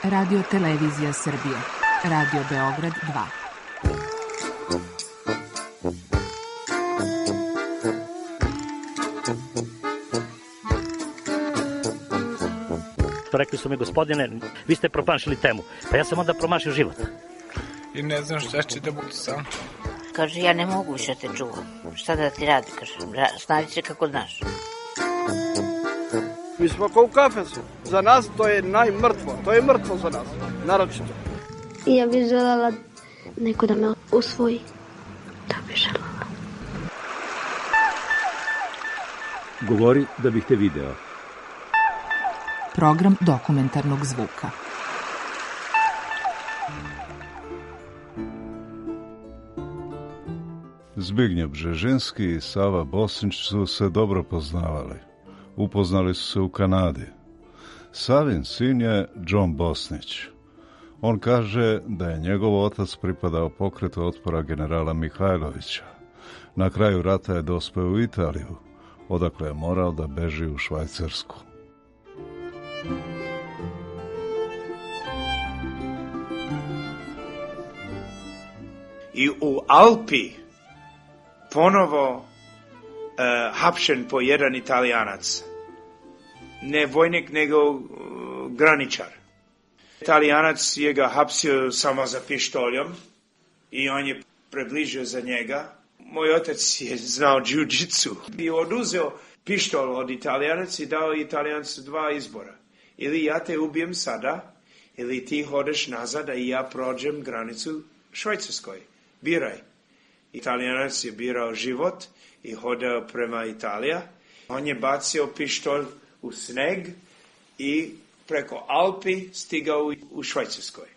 Radio Televizija Srbije. Radio Beograd 2. Rekli su mi, gospodine, vi ste promašili temu. Pa ja sam onda promašio život. I ne znam šta će da budu sam. Kaže, ja ne mogu više te čuvam. Šta da ti radi, kaže, snađi se kako znaš. Mi smo kao u kafesu. Za nas to je najmrtvo. To je mrtvo za nas, naročito. Ja bih želela neko da me usvoji. Da bih želela. Govori da bih te video. Program dokumentarnog zvuka. Zbignjev Bžežinski i Sava Bosnić su se dobro poznavali. Upoznali su se u Kanadi. Savin sin je John Bosnić. On kaže da je njegov otac pripadao pokretu otpora generala Mihajlovića. Na kraju rata je dospeo u Italiju, odakle je morao da beži u Švajcarsku. I u Alpi ponovo hapšen po jedan Italijanac. Ne vojnik, nego graničar. Italijanac je ga hapsio samo za pištoljom i on je približio za njega. Moj otac je znao jiu-jitsu i oduzeo pištol od Italijanaca i dao Italijancu dva izbora. Ili ja te ubijem sada, ili ti hodeš nazad, a ja prođem granicu Švajcarskoj. Biraj. Italijanac je birao život i hodao prema Italija. On je bacio pištolj u sneg i preko Alpi stigao u Švajcarskoj.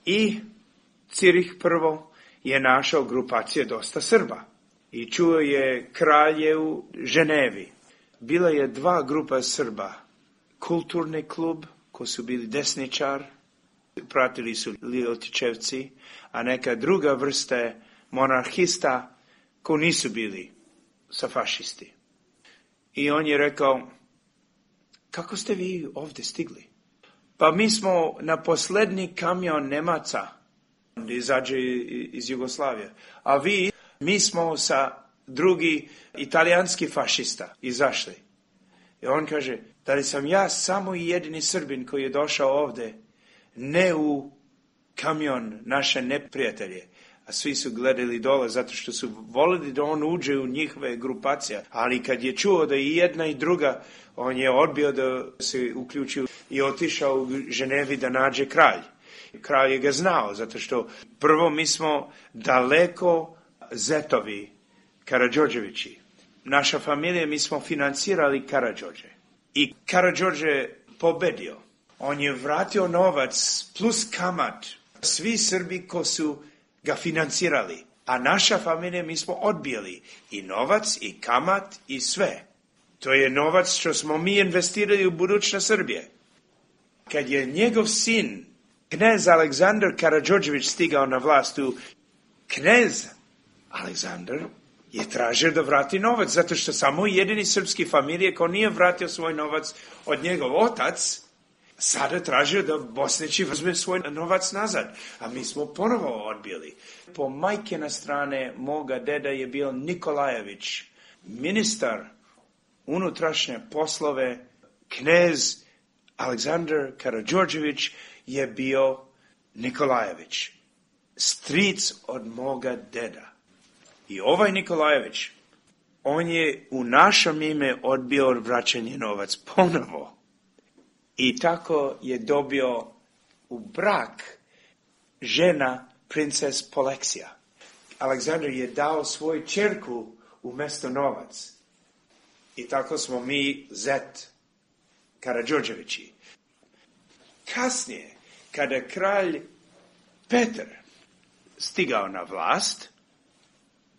I Cirih prvo je našao grupacije dosta Srba. I čuo je kralje u Ženevi. Bila je dva grupa Srba. Kulturni klub, koji su bili desničar, pratili su Ljotićevci, a neka druga vrsta monarhista koji nisu bili sa fašisti. I on je rekao, kako ste vi ovdje stigli? Pa mi smo na posljednji kamion Nemaca, izađe iz Jugoslavije, a mi smo sa drugi italijanski fašista izašli. I on kaže, da li sam ja samo jedini Srbin koji je došao ovdje, ne u kamion naše neprijatelje. A svi su gledali dole zato što su volili da on uđe u njihove grupacije. Ali kad je čuo da i jedna i druga, on je odbio da se uključi i otišao u Ženevi da nađe kralj. Kralj je ga znao zato što prvo mi smo daleko zetovi Karađorđevići. Naša familija, mi smo financirali Karađorđe. I Karađorđe pobedio. On je vratio novac plus kamat. Svi Srbi ko su ga financirali. A naša familija, mi smo odbijali i novac, i kamat, i sve. To je novac što smo mi investirali u budućnost Srbije. Kad je njegov sin, knez Aleksandar Karađorđević, stigao na vlast, knez Aleksandar je tražio da vrati novac, zato što samo jedini srpski familije ko nije vratio svoj novac od njegov otac, sada tražio da Bosnići uzme svoj novac nazad, a mi smo ponovo odbili. Po majkina strane moga deda je bio Nikolajević, ministar unutrašnje poslove, knez Aleksandar Karađorđević je bio Nikolajević, stric od moga deda. I ovaj Nikolajević, on je u našem ime odbio vraćanje novac ponovo. I tako je dobio u brak žena princes Poleksija. Aleksandar je dao svoju ćerku umjesto novac. I tako smo mi zet Karađorđevići. Kasnije, kada kralj Petar stigao na vlast,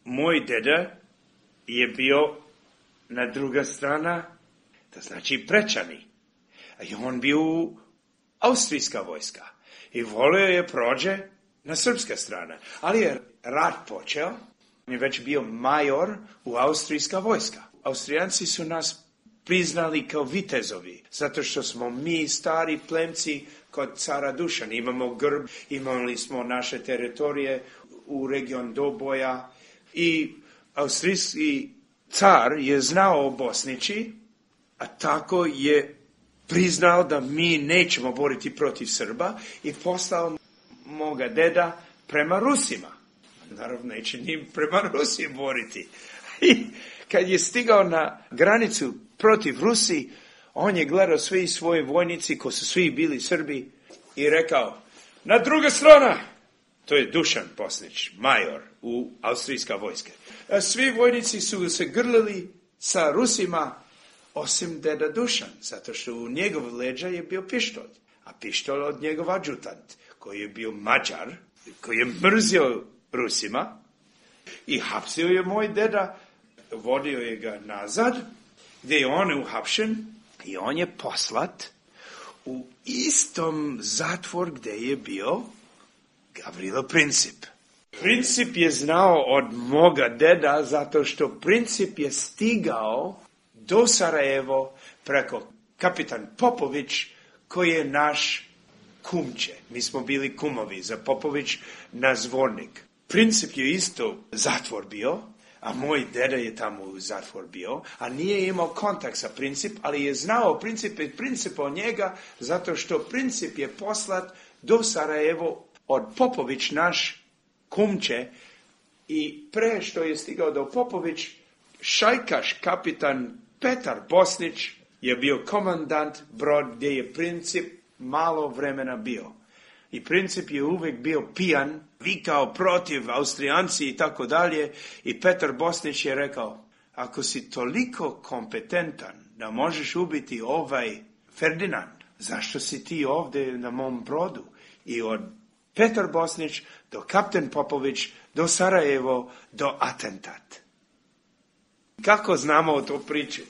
moj deda je bio na druga strana, to znači Prečani. I on bio austrijska vojska. I volio je prođe na srpska strana. Ali je rat počeo. On je već bio major u austrijska vojska. Austrijanci su nas priznali kao vitezovi, zato što smo mi stari plemci kod cara Dušana. Imamo grb, imali smo naše teritorije u region Doboja i austrijski car je znao o Bosnići, a tako je priznao da mi nećemo boriti protiv Srba i poslao moga deda prema Rusima. Naravno, neće ni prema Rusiji boriti. I kad je stigao na granicu protiv Rusi, on je gledao svi svoji vojnici, koji su svi bili Srbi, i rekao, na druga strana, to je Dušan Bosnić, major u austrijska vojska. Svi vojnici su se grlili sa Rusima, osim deda Dušan, zato što u njegov leđa je bio pištolj, a pištolj od njegov adjutant, koji je bio Mađar, koji je mrzio Rusima, i hapsio je moj deda, vodio je ga nazad, gdje je on uhapšen, i on je poslat u istom zatvor gdje je bio Gavrilo Princip. Princip je znao od moga deda, zato što Princip je stigao do Sarajevo preko kapitan Popović, koji je naš kumče. Mi smo bili kumovi za Popović na Zvornik. Princip je isto zatvor bio, a moj deda je tamo u zatvor bio, a nije imao kontakt sa Princip, ali je znao Princip o njega, zato što Princip je poslat do Sarajevo od Popović, naš kumče, i pre što je stigao do Popović, šajkaš kapitan Petar Bosnić je bio komandant brod gdje je Princip malo vremena bio. I Princip je uvijek bio pijan, vikao protiv Austrijanci i tako dalje. I Petar Bosnić je rekao, ako si toliko kompetentan da možeš ubiti ovaj Ferdinand, zašto si ti ovdje na mom brodu? I od Petar Bosnić do kapten Popović, do Sarajevo, do atentat. Kako znamo o to priču?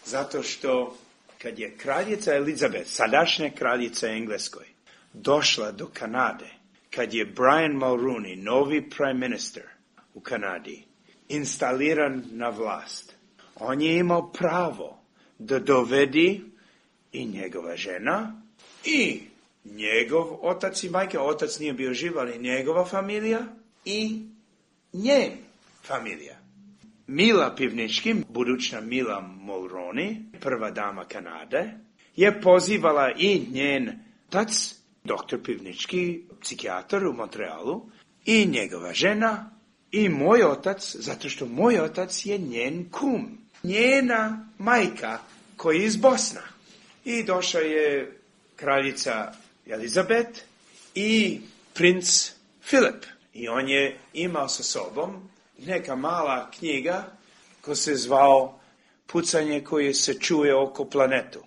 Zato što kad je kraljica Elizabeth, sadašnja kraljica Engleskoj, došla do Kanade, kad je Brian Mulroney, novi prime minister u Kanadi, instaliran na vlast, on je imao pravo da dovedi i njegova žena i njegov otac i majka, otac nije bio živ, ali njegova familija i njen familija. Mila Pivnički, budućna Mila Mulroney, prva dama Kanade, je pozivala i njen otac, doktor Pivnički, psihijatar u Montrealu, i njegova žena, i moj otac, zato što moj otac je njen kum, njena majka koja je iz Bosna. I došla je kraljica Elizabeth i princ Filip. I on je imao sa sobom neka mala knjiga koja se zvao Pucanje koje se čuje oko planetu.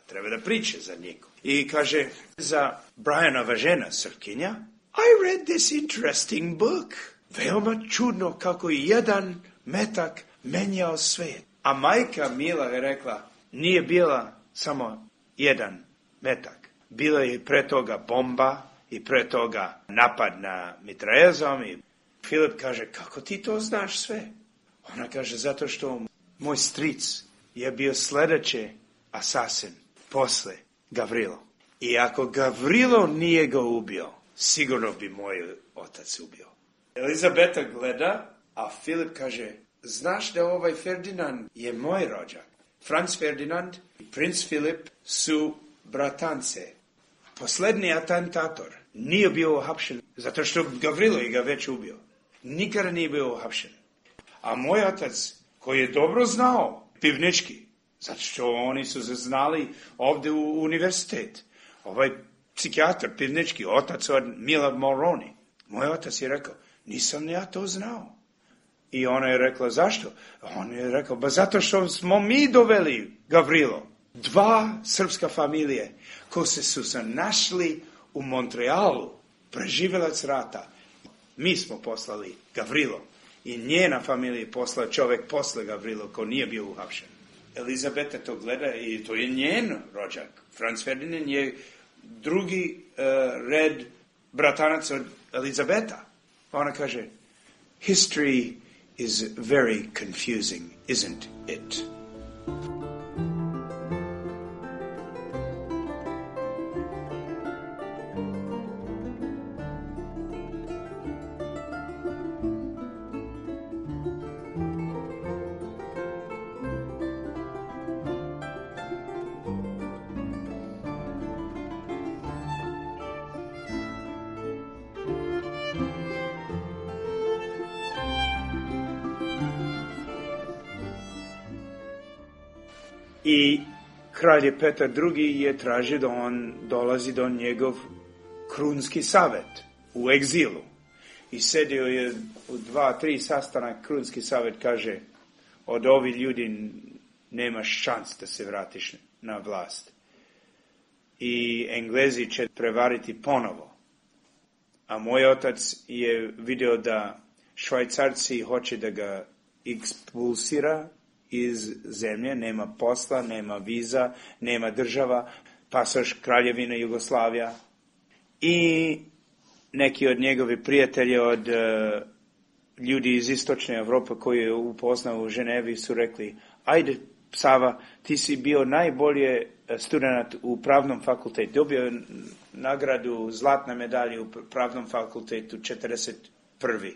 Treba da priče za njega. I kaže za Brianova žena, Srkinja, I read this interesting book. Veoma čudno kako je jedan metak menjao svet. A majka Mila je rekla, nije bila samo jedan metak. Bila je pre toga bomba i pre toga napad na mitraljezom. I Filip kaže, kako ti to znaš sve? Ona kaže, zato što moj stric je bio sljedeći asasin posle Gavrilo. I ako Gavrilo nije ga ubio, sigurno bi moj otac ubio. Elizabeta gleda, a Filip kaže, znaš da ovaj Ferdinand je moj rođak. Franz Ferdinand i princ Filip su bratance. Posljednji atentator nije bio uhapšen, zato što Gavrilo je ga već ubio. Nikada nije bio uhapšen. A moj otac, koji je dobro znao Pivnički, zato što oni su se znali ovdje u univerzitet, ovaj psihijatar Pivnički, otac od Mila Mulroney, moj otac je rekao, nisam ja to znao. I ona je rekla, zašto? On je rekao, ba zato što smo mi doveli Gavrilo. 2 srpska familije koje su se našli u Montrealu, preživjelac rata. Mi smo poslali Gavrilo i njena familija je poslala čovjek posle Gavrilo ko nije bio uhapšen. Elizabeta to gleda i to je njen rođak. Franz Ferdinand je drugi red bratanac od Elizabeta. Ona kaže, history is very confusing, isn't it? I kralj Petar II je tražio da on dolazi do njegov krunski savjet u egzilu. I sedio je u 2-3 sastanak, krunski savjet kaže, od ovih ljudi nemaš šans da se vratiš na vlast. I Englezi će prevariti ponovo. A moj otac je vidio da Švajcarci hoće da ga ekspulsira iz zemlje, nema posla, nema viza, nema država, pasoš Kraljevina Jugoslavija. I neki od njegovi prijatelji, od ljudi iz istočne Evrope koji je upoznao u Ženevi su rekli, ajde Sava, ti si bio najbolje student u pravnom fakultetu, dobio je nagradu zlatna medalja u pravnom fakultetu 41.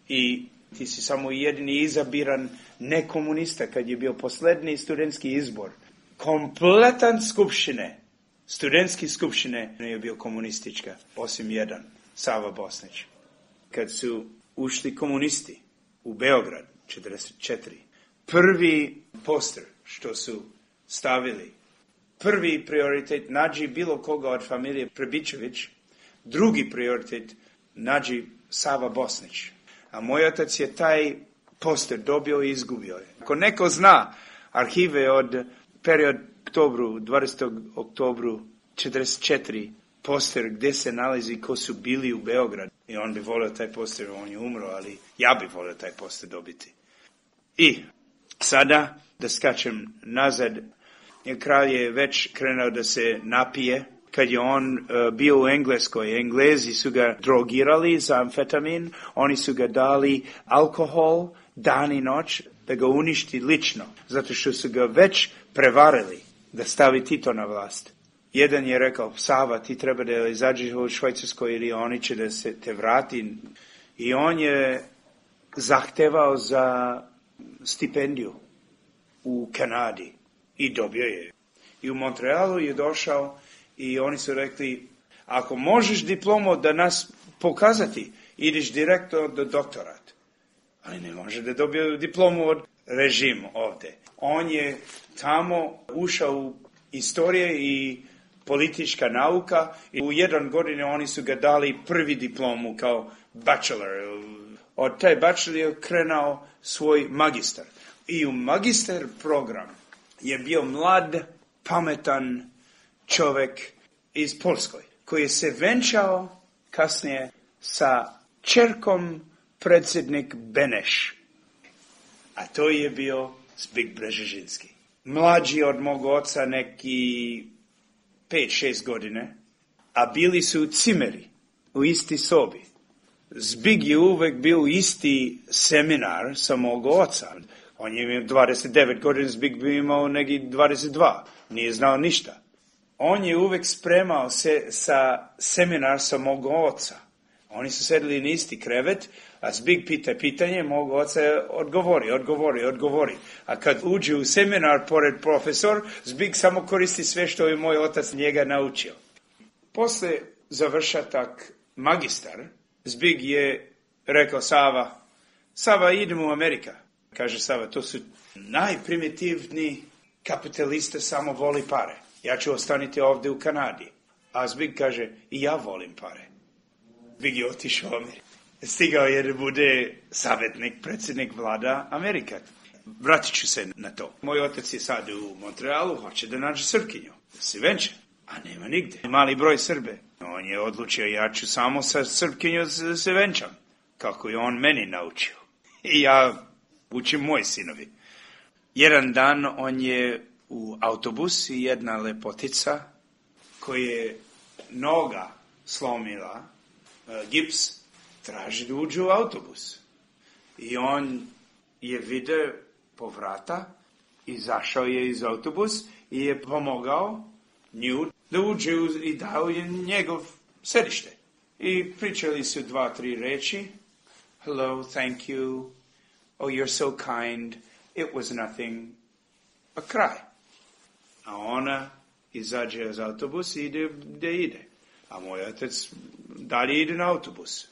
I ti si samo jedini izabiran nekomunista kad je bio posljednji studentski izbor. Kompletan skupštine, studentski skupštine je bio komunistička, osim jedan, Sava Bosnić. Kad su ušli komunisti u Beograd, 44. Prvi poster što su stavili, prvi prioritet nađi bilo koga od familije Prebičević, drugi prioritet nađi Sava Bosnić. A moj otac je taj poster dobio i izgubio je. Ako neko zna arhive od period oktobru, 20. oktobru 44, poster gdje se nalazi ko su bili u Beogradu, i on bi volio taj poster, on je umro, ali ja bi volio taj poster dobiti. I sada, da skačem nazad, kralj je već krenuo da se napije. Kad je on bio u Engleskoj, Englezi su ga drogirali za amfetamin, oni su ga dali alkohol dan i noć da ga uništi lično, zato što su ga već prevarili da stavi Tito na vlast. Jedan je rekao, Sava, ti treba da izađeš u Švajcarskoj ili oni će da se te vrati. I on je zahtevao za stipendiju u Kanadi i dobio je. I u Montrealu je došao i oni su rekli, ako možeš diplomu da nas pokazati, ideš direktno do doktorat. Ali ne može da dobije diplomu od režima ovdje. On je tamo ušao u istorije i politička nauka i u 1 godine oni su ga dali prvi diplomu kao bachelor. Od taj bachelor je krenuo svoj magistar. I u magistar program je bio mlad, pametan čovjek iz Polskoj, koji je se venčao kasnije sa ćerkom predsjednik Beneš. A to je bio Zbig Brzezinski. Mlađi od mog oca neki 5-6 godine, a bili su cimeri u isti sobi. Zbig je uvek bio isti seminar sa mog oca. On je imao 29 godina, Zbig bi imao neki 22. Nije znao ništa. On je uvek spremao se sa seminar sa mog oca. Oni su sedeli na isti krevet, a Zbig pita pitanje, mog oca odgovori. A kad uđe u seminar pored profesor, Zbig samo koristi sve što je moj otac njega naučio. Posle završatak magistar, Zbig je rekao, Sava, idemo u Amerika. Kaže Sava, to su najprimitivni kapitaliste, samo voli pare. Ja ću ostaniti ovdje u Kanadi. A Zbig kaže, i ja volim pare. Zbig je otišao u Ameriku. Stigao je da bude savjetnik, predsjednik vlada Amerika. Vratit ću se na to. Moj otac je sad u Montrealu, hoće da nađe Srpkinju, da se venče, a nema nigde. Mali broj Srbe. On je odlučio, ja ću samo sa Srpkinjom da se venčam, kako je on meni naučio. I ja učim moji sinovi. Jedan dan on je u autobus i jedna lepotica koja je noga slomila, gips, traži da uđe u autobus. I on je vidio po vrata, izašao je iz autobus i je pomogao nju da uđe i dao je njegov sedište. I pričali su 2-3 reči. Hello, thank you. Oh, you're so kind. It was nothing. A kraj. A ona izađe iz autobusa i ide gdje ide. A moj otac dalje ide na autobus.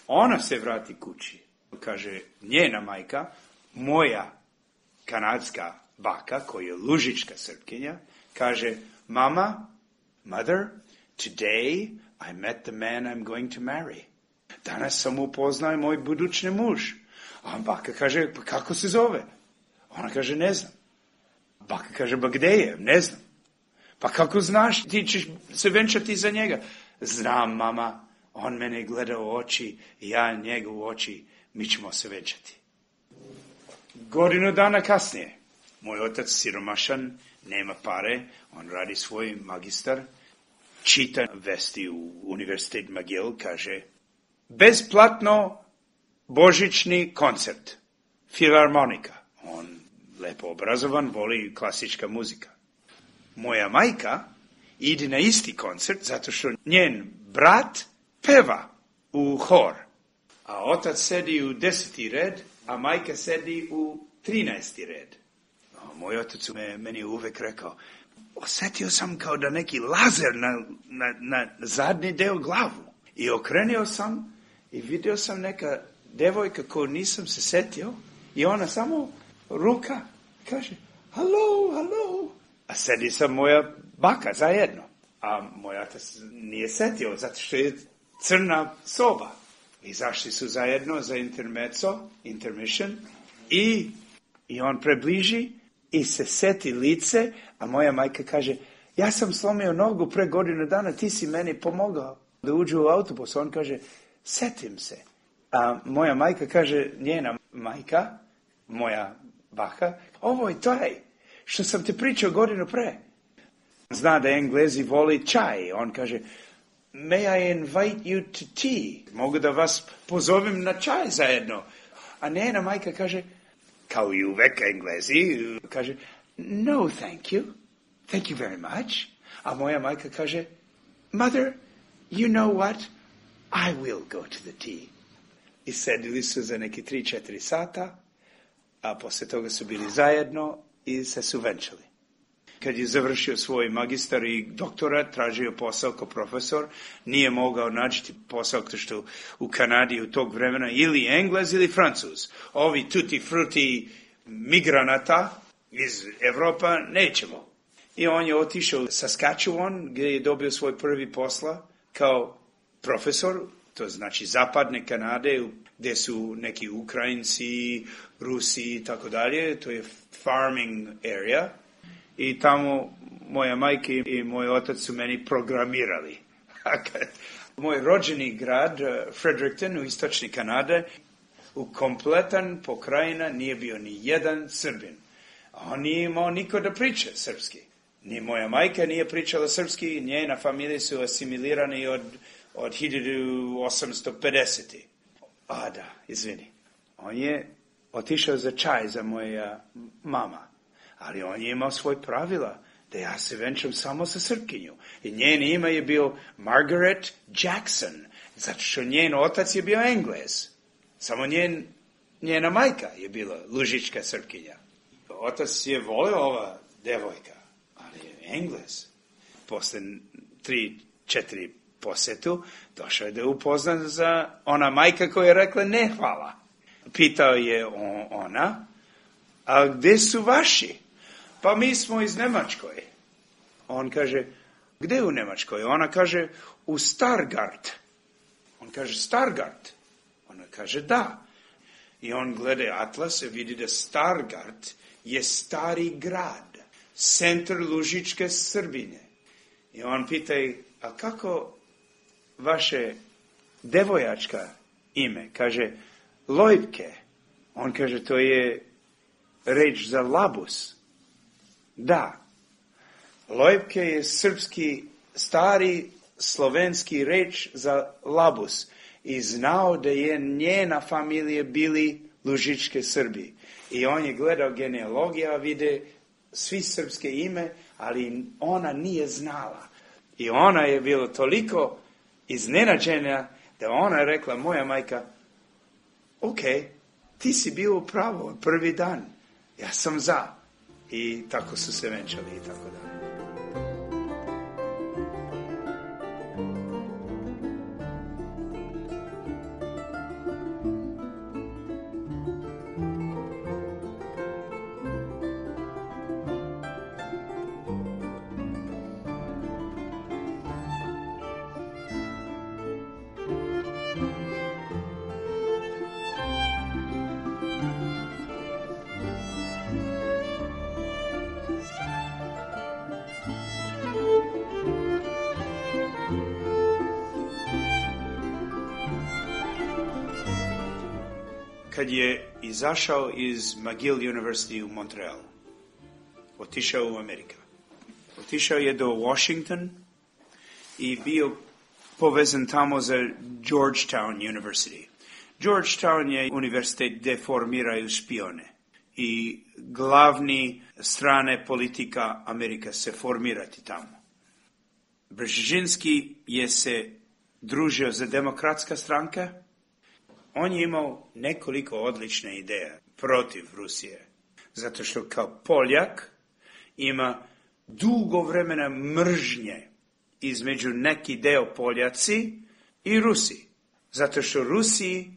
Ona se vrati kući. Kaže, njena majka, moja kanadska baka, koja je lužička Srpkinja, kaže, mama, mother, today I met the man I'm going to marry. Danas sam upoznao moj budućni muž. A baka kaže, pa kako se zove? Ona kaže, ne znam. Baka kaže, ba gde je? Ne znam. Pa kako znaš, ti ćeš se venčati za njega? Znam, mama, on mene gleda u oči, ja njega u oči, mi ćemo se venčati. Godinu dana kasnije, moj otac siromašan, nema pare, on radi svoj magistar, čita vesti u Univerzitet McGill, kaže, besplatno božićni koncert, filharmonika. On lepo obrazovan, voli klasička muzika. Moja majka ide na isti koncert zato što njen brat peva u hor. A otac sedi u 10. red, a majka sedi u 13. red. Moj otac meni uvek rekao, osjetio sam kao da neki lazer na zadnji deo glavu. I okrenio sam i vidio sam neka devojka koju nisam se setio i ona samo ruka kaže, halo, halo. A sedi sam moja baka zajedno. A moj otac nije setio zato što je crna soba. Izašli su zajedno za intermission i on prebliži i se seti lice, a moja majka kaže, ja sam slomio nogu pre godinu dana, ti si meni pomogao da uđu u autobus. On kaže, setim se. A moja majka kaže, njena majka, moja baka, ovo je taj što sam te pričao godinu pre. Zna da Englezi voli čaj. On kaže, may I invite you to tea? Mogu da vas pozovem na čaj zajedno. A njena majka kaže, kao i uvek Englezi, kaže, no, thank you. Thank you very much. A moja majka kaže, mother, you know what? I will go to the tea. I sedili su za neki 3-4 sata, a posle toga su bili zajedno i se su venčali. Kad je završio svoj magistar i doktorat, tražio posao kao profesor, nije mogao naći posao što u Kanadi u tog vremena ili Englez ili Francuz. Ovi tutti frutti migranata iz Evropa nećemo. I on je otišao u Saskatchewan gdje je dobio svoj prvi posla kao profesor, to znači zapadne Kanade, gdje su neki Ukrajinci, Rusi i tako dalje, to je farming area. I tamo moja majka i moj otac su meni programirali. Moj rođeni grad, Fredericton u istočni Kanade, u kompletan pokrajina nije bio ni jedan Srbin. On nije imao niko da priča srpski. Ni moja majka nije pričala srpski, njena familija su asimilirani od 1850. A da, izvini. On je otišao za čaj za moja mama. Ali on je imao svoj pravila, da ja se venčam samo sa Srpkinju. I njen ime je bio Margaret Jackson, zato što njen otac je bio Englez. Samo njena majka je bila lužička Srpkinja. Otac je volio ova devojka, ali je Englez. Posle 3-4 posetu došao je da upoznan za ona majka koja je rekla ne hvala. Pitao je ona, a gde su vaši? Pa mi smo iz Nemačkoj. On kaže, gde u Nemačkoj? Ona kaže, u Stargard. On kaže, Stargard? Ona kaže, da. I on gleda atlas i vidi da Stargard je stari grad, centar lužičke Srbine. I on pita, a kako vaše devojačka ime? Kaže, Lojbke. On kaže, to je reč za labus. Da, Lojbke je srpski, stari slovenski reč za labus i znao da je njena familija bili lužičke Srbi. I on je gledao genealogija, vide svi srpske ime, ali ona nije znala. I ona je bila toliko iznenađena da ona je rekla, moja majka, ok, ti si bio u pravu prvi dan, ja sam za. I tako su se venčali i tako dalje. kad je izašao iz McGill University u Montrealu. Otišao u Ameriku. Otišao je do Washington i bio povezan tamo za Georgetown University. Georgetown je univerzitet gdje formiraju špione i glavni strane politika Amerika se formirati tamo. Brzezinski je se družio za demokratska stranka. On je imao nekoliko odlične ideje protiv Rusije. Zato što kao Poljak ima dugo vremena mržnje između neki deo Poljaci i Rusi. Zato što Rusi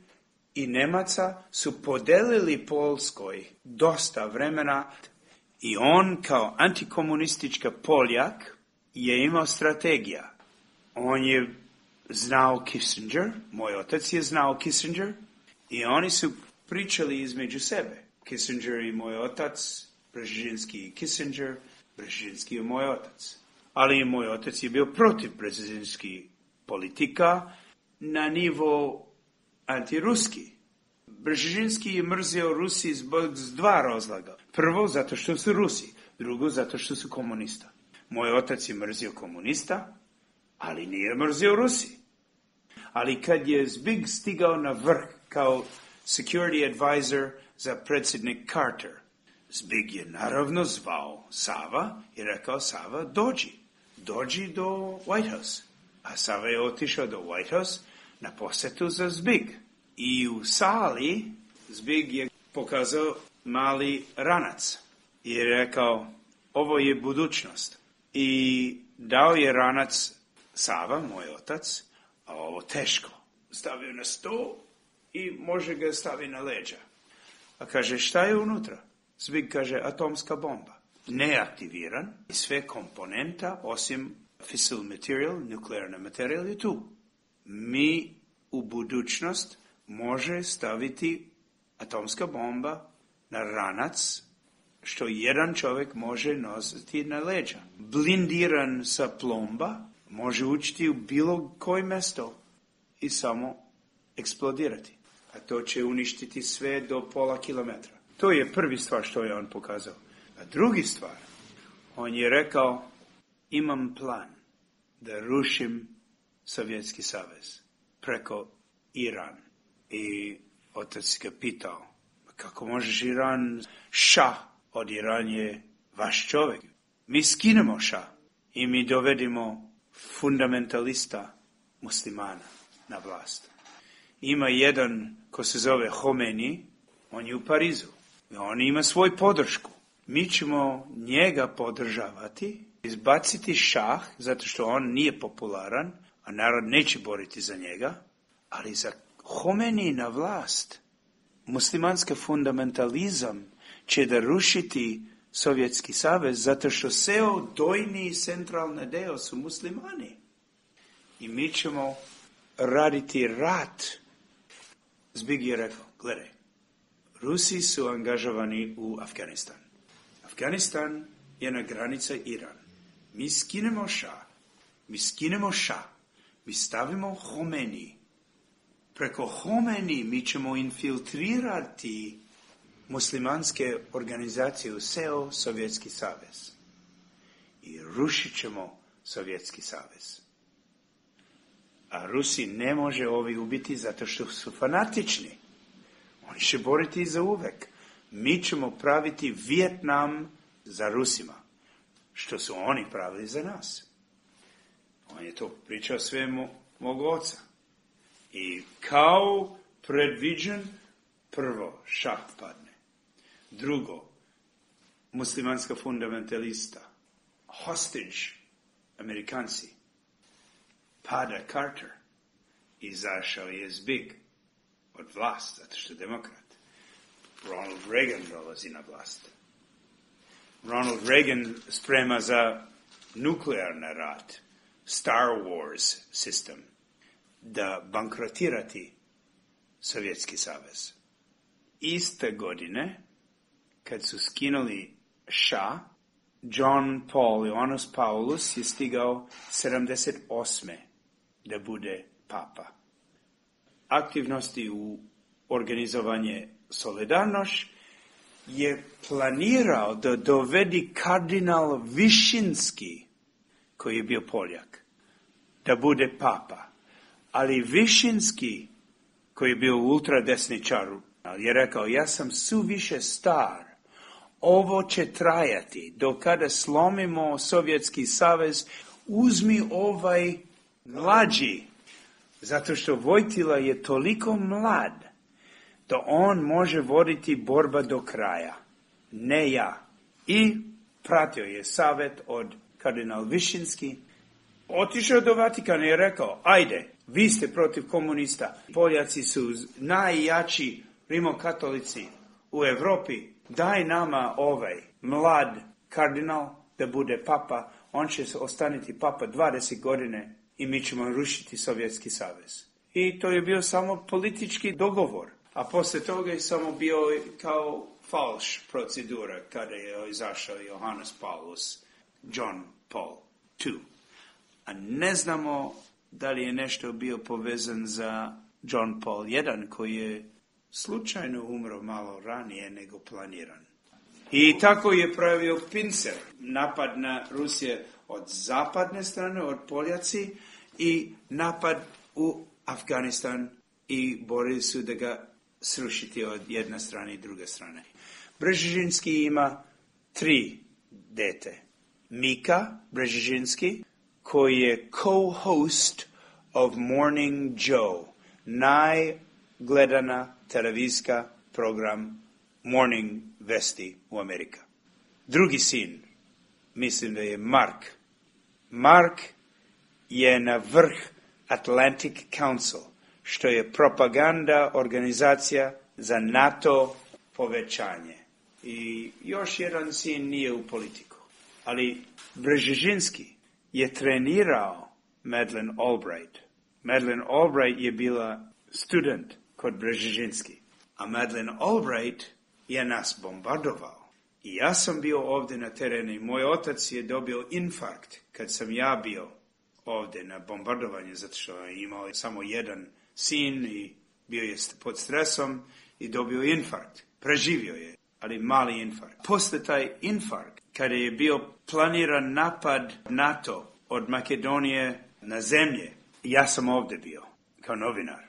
i Nemaca su podelili Poljskoj dosta vremena i on kao antikomunistička Poljak je imao strategija. On je znao Kissinger, moj otac je znao Kissinger i oni su pričali između sebe. Kissinger i moj otac, Brzezinski i Kissinger, Brzezinski je moj otac. Ali i moj otac je bio protiv brzezinski politika na nivo antiruski. Brzezinski je mrzio Rusi zbog dva razloga. Prvo, zato što su Rusi. Drugo, zato što su komunista. Moj otac je mrzio komunista, ali nije mrzio Rusi. Ali kad je Zbig stigao na vrh kao security advisor za predsjednik Carter, Zbig je naravno zvao Sava i rekao, Sava, dođi do White House. A Sava je otišao do White House na posjetu za Zbig. I u sali Zbig je pokazao mali ranac i rekao, ovo je budućnost. I dao je ranac Sava, moj otac, a ovo teško. Stavio na sto i može ga staviti na leđa. A kaže, šta je unutra? Zbig kaže, atomska bomba. Neaktiviran, sve komponenta, osim fissile material, nuklearna materijal je tu. Mi u budućnost može staviti atomska bomba na ranac, što jedan čovjek može nositi na leđa. Blindiran sa plomba, može učiti u bilo koje mjesto i samo eksplodirati. A to će uništiti sve do pola kilometra. To je prvi stvar što je on pokazao. A drugi stvar, on je rekao, imam plan da rušim Sovjetski savez preko Iran. I otac ga pitao, kako možeš Iran? Šah od Iran je vaš čovjek. Mi skinemo šah i mi dovedimo fundamentalista muslimana na vlast. Ima jedan ko se zove Homeni, on je u Parizu. On ima svoju podršku. Mi ćemo njega podržavati, izbaciti šah, zato što on nije popularan, a narod neće boriti za njega, ali za Homeni na vlast, muslimanski fundamentalizam će da rušiti Sovjetski savez, zato što ceo dojni i centralni deo su muslimani. I mi ćemo raditi rat. Zbig je rekao, gledaj, Rusi su angažovani u Afganistan. Afganistan je na granica Iran. Mi skinemo šah, mi stavimo Homeni. Preko Homeni mi ćemo infiltrirati muslimanske organizacije u ceo Sovjetski savez. I rušit ćemo Sovjetski savez. A Rusi ne može ovi ubiti zato što su fanatični. Oni će boriti za uvek. Mi ćemo praviti Vijetnam za Rusima, što su oni pravili za nas. On je to pričao sve mog oca. I kao predviđen, prvo šah padne. Drugo, muslimanska fundamentalista, hostage, Amerikanci, pada Carter, izašao je Zbig od vlast, zato što je demokrat. Ronald Reagan dolazi na vlast. Ronald Reagan sprema za nuklearni rat, Star Wars sistem, da bankrotirati Sovjetski savez. Iste godine, kad su skinuli šah, John Paul Ioannis Paulus je stigao 78. da bude papa. Aktivnosti u organizovanje Solidarność je planirao da dovedi kardinal Višinski, koji je bio Poljak, da bude papa. Ali Višinski, koji je bio ultradesničar, je rekao, ja sam suviše star, ovo će trajati, do kada slomimo Sovjetski savez, uzmi ovaj mlađi, zato što Vojtila je toliko mlad, da on može voditi borba do kraja, ne ja. I pratio je savjet od kardinal Višinski, otišao do Vatikana i rekao, ajde, vi ste protiv komunista, Poljaci su najjači rimokatolici u Evropi, daj nama ovaj mlad kardinal da bude papa, on će ostaniti papa 20 godine i mi ćemo rušiti Sovjetski savez. I to je bio samo politički dogovor, a poslije toga je samo bio kao falš procedura kada je izašao Johannes Paulus, John Paul II. A ne znamo da li je nešto bio povezan za John Paul I, koji je slučajno umro malo ranije nego planiran. I tako je pravio pincer, napad na Rusije od zapadne strane, od Poljaci, i napad u Afganistan i borili su da ga srušiti od jedne strane i druge strane. Brzezinski ima 3 dete. Mika Brzezinski, koji je co-host of Morning Joe, najgledana televizijska program Morning Vesti u Amerika. Drugi sin, mislim da je Mark. Mark je na vrh Atlantic Council, što je propaganda organizacija za NATO povećanje. I još jedan sin nije u politiku. Ali Brzezinski je trenirao Madeleine Albright. Madeleine Albright je bila student kod Brzezinski. A Madeleine Albright je nas bombardovao. I ja sam bio ovdje na terenu i moj otac je dobio infarkt kad sam ja bio ovdje na bombardovanju, zato što je imao samo jedan sin i bio je pod stresom i dobio infarkt. Preživio je, ali mali infarkt. Posle taj infarkt, kada je bio planiran napad NATO od Makedonije na zemlje, ja sam ovdje bio kao novinar.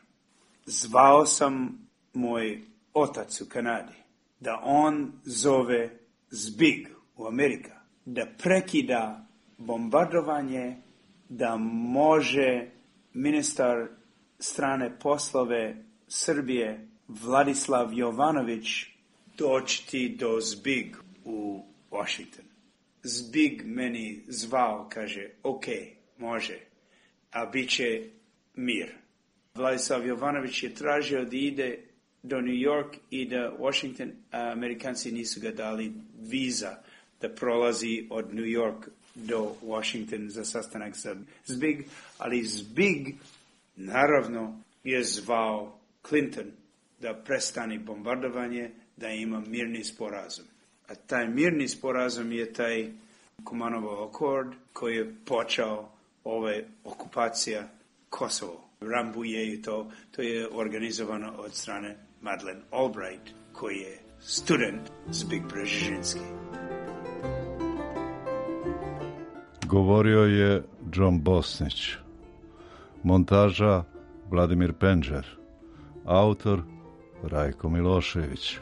Zvao sam moj otac u Kanadi da on zove Zbig u Amerika, da prekida bombardovanje, da može ministar strane poslove Srbije Vladislav Jovanović doći do Zbig u Washington. Zbig meni zvao, kaže, ok, može, a bit će mir. Vladislav Jovanović je tražio da ide do New York i da Washington, a Amerikanci nisu ga dali viza da prolazi od New York do Washington za sastanak sa Zbig, ali Zbig naravno je zvao Clinton da prestane bombardovanje, da ima mirni sporazum. A taj mirni sporazum je taj Kumanov akord koji je počeo ova okupacija Kosovo. Rambuje i to je organizovano od strane Madeleine Albright, koji je student Zbig Brzezinski. Govorio je John Bosnić. Montaža Vladimir Penđer. Autor Rajko Milošević.